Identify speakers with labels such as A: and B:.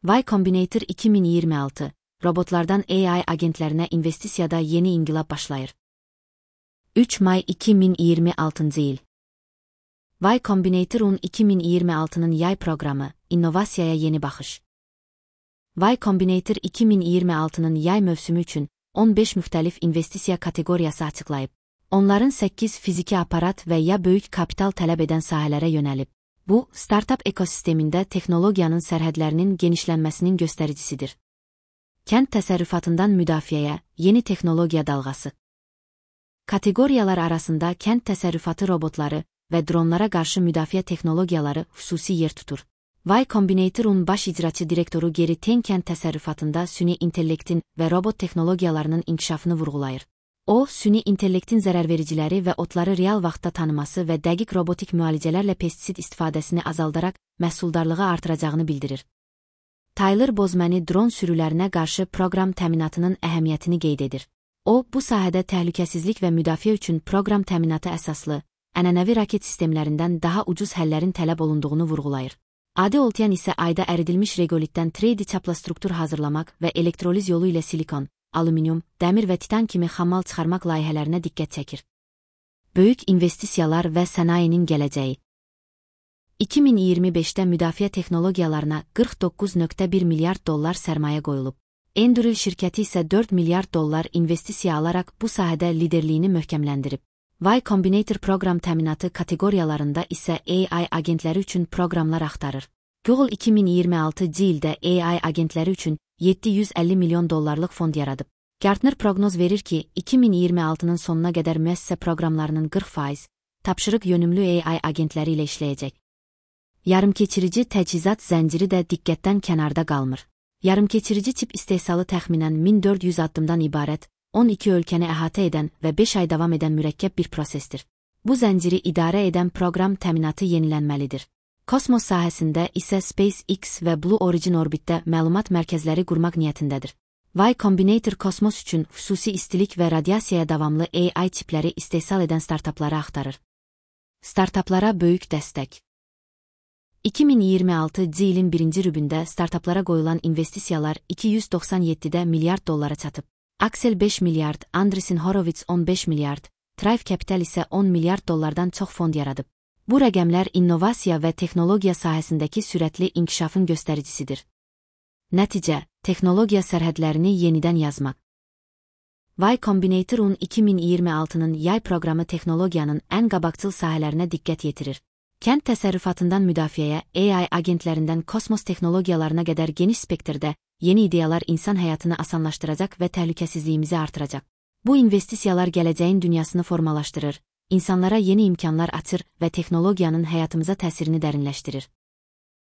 A: Y Combinator 2026, robotlardan AI agentlerine investisiyada yeni inqilab başlayır. 3 may 2026 yıl. Y Combinator 2026'nın yay programı, innovasiyaya yeni baxış. Y Combinator 2026'nın yay mövsümü üçün 15 müxtəlif investisiya kateqoriyası açıqlayıb. Onların 8 fiziki aparat və ya böyük kapital tələb edən sahələrə yönəlib. Bu, startup ekosistemində texnologiyanın sərhədlərinin genişlənməsinin göstəricisidir. Kənd təsərrüfatından müdafiəyə, yeni texnologiya dalğası. Kateqoriyalar arasında kənd təsərrüfatı robotları və dronlara qarşı müdafiə texnologiyaları xüsusi yer tutur. Y Combinator'un baş icraçı direktoru Geri Ten kənd təsərrüfatında süni intellektin və robot texnologiyalarının inkişafını vurğulayır. O, süni intellektin zərərvericiləri və otları real vaxtda tanıması və dəqiq robotik müalicələrlə pestisid istifadəsini azaldaraq məhsuldarlığı artıracağını bildirir. Tyler Bozmani dron sürülərinə qarşı proqram təminatının əhəmiyyətini qeyd edir. O, bu sahədə təhlükəsizlik və müdafiə üçün proqram təminatı əsaslı, ənənəvi raket sistemlərindən daha ucuz həllərin tələb olunduğunu vurğulayır. Adi Oltyan isə ayda əridilmiş regolitdən 3D çapla struktur hazırlamaq və elektroliz yolu ilə silikon, alüminium, dəmir və titan kimi xammal çıxarmaq layihələrinə diqqət çəkir. Böyük investisiyalar və sənayenin gələcəyi. 2025-də müdafiə texnologiyalarına 49,1 milyard dollar sərmayə qoyulub. Enduril şirkəti isə 4 milyard dollar investisiya alaraq bu sahədə liderliyini möhkəmləndirib. Y Combinator proqram təminatı kateqoriyalarında isə AI agentləri üçün proqramlar axtarır. Google 2026 ildə AI agentləri üçün 750 milyon dollarlıq fond yaradıb. Gartner proqnoz verir ki, 2026-nın sonuna qədər müəssisə proqramlarının 40% tapşırıq yönümlü AI agentləri ilə işləyəcək. Yarımkeçirici təchizat zənciri də diqqətdən kənarda qalmır. Yarımkeçirici çip istehsalı təxminən 1400 addımdan ibarət, 12 ölkəni əhatə edən və 5 ay davam edən mürəkkəb bir prosesdir. Bu zənciri idarə edən proqram təminatı yenilənməlidir. Kosmos sahəsində isə SpaceX və Blue Origin orbitdə məlumat mərkəzləri qurmaq niyyətindədir. Y Combinator kosmos üçün xüsusi istilik və radiasiyaya davamlı AI çipləri istehsal edən startapları axtarır. Startaplara böyük dəstək. 2026 ilin birinci rübündə startaplara qoyulan investisiyalar 297 milyard dollara çatıb. Axel 5 milyard, Andreessen Horowitz 15 milyard, Thrive Capital isə 10 milyard dollardan çox fond yaradıb. Bu rəqəmlər innovasiya və texnologiya sahəsindəki sürətli inkişafın göstəricisidir. Nəticə, texnologiya sərhədlərini yenidən yazmaq. Y Combinator 2026'nın yay proqramı texnologiyanın ən qabaqcıl sahələrinə diqqət yetirir. Kənd təsərrüfatından müdafiəyə, AI agentlərindən kosmos texnologiyalarına qədər geniş spektrdə yeni ideyalar insan həyatını asanlaşdıracaq və təhlükəsizliyimizi artıracaq. Bu investisiyalar gələcəyin dünyasını formalaşdırır, insanlara yeni imkanlar açır və texnologiyanın həyatımıza təsirini dərinləşdirir.